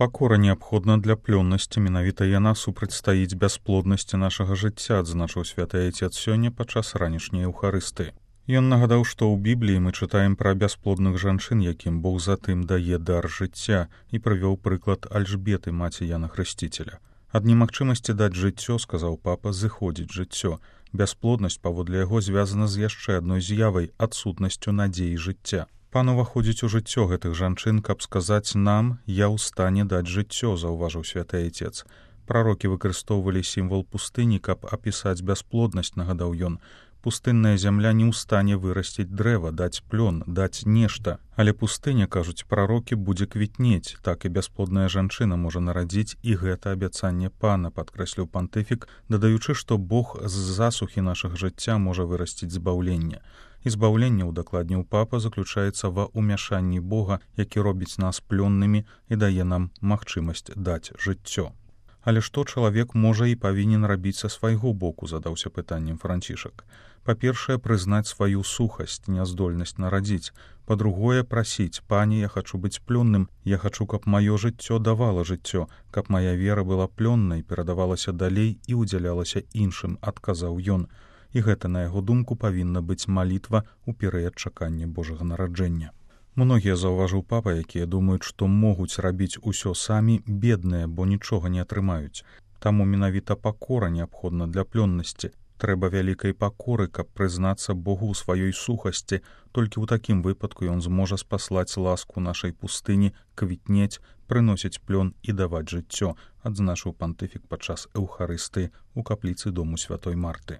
Пакора неабходна для плённасці, менавіта яна супрацьстаіць бясплоднасці нашага жыцця, адзначыў святы Айцец сёння падчас ранішняй еўхарыстыі. Ён нагадаў, што ў Бібліі мы чытаем пра бясплодных жанчын, якім Бог затым дае дар жыцця, і прывёў прыклад Альжбеты, маці Яна Хрысціцеля. Ад немагчымасці даць жыццё, сказаў папа, зыходзіць жыццё. Бясплоднасць, паводле яго, звязана з яшчэ адной з'явай — адсутнасцю надзеі жыцця. Пан уваходзіць у жыццё гэтых жанчын, каб сказаць нам: «Я ў стане даць жыццё», заўважыў святы Айцец. Прарокі выкарыстоўвалі сімвал пустыні, каб апісаць бясплоднасць, нагадаў ён. Пустынная зямля не ў стане вырасціць дрэва, даць плён, даць нешта. Але пустыня, кажуць прарокі, будзе квітнець, так і бясплодная жанчына можа нарадзіць, і гэта абяцанне пана, падкрэсліў пантыфік, дадаючы, што Бог з засухі нашага жыцця можа вырасціць збаўленне. І збаўленне, удакладніў папа, заключаецца ва ўмяшанні Бога, які робіць нас плённымі і дае нам магчымасць даць жыццё. Але што чалавек можа і павінен рабіць са свайго боку, задаўся пытаннем Францішак. Па-першае, прызнаць сваю сухасць, няздольнасць нарадзіць. Па-другое, прасіць: «Пане, я хачу быць плённым, я хачу, каб маё жыццё давала жыццё, каб мая вера была плённай, перадавалася далей і ўдзялялася іншым», адказаў ён. І гэта, на яго думку, павінна быць малітва ў перыяд чакання Божага нараджэння. Многія, заўважыў папа, якія думаюць, што могуць рабіць усё самі, бедныя, бо нічога не атрымаюць. Таму менавіта пакора неабходна для плённасці. Трэба вялікай пакоры, каб прызнацца Богу ў сваёй сухасці. Толькі ў такім выпадку ён зможа спаслаць ласку нашай пустыні, квітнець, прыносіць плён і даваць жыццё, адзначыў пантыфік падчас эўхарыстыі ў капліцы дому святой Марты.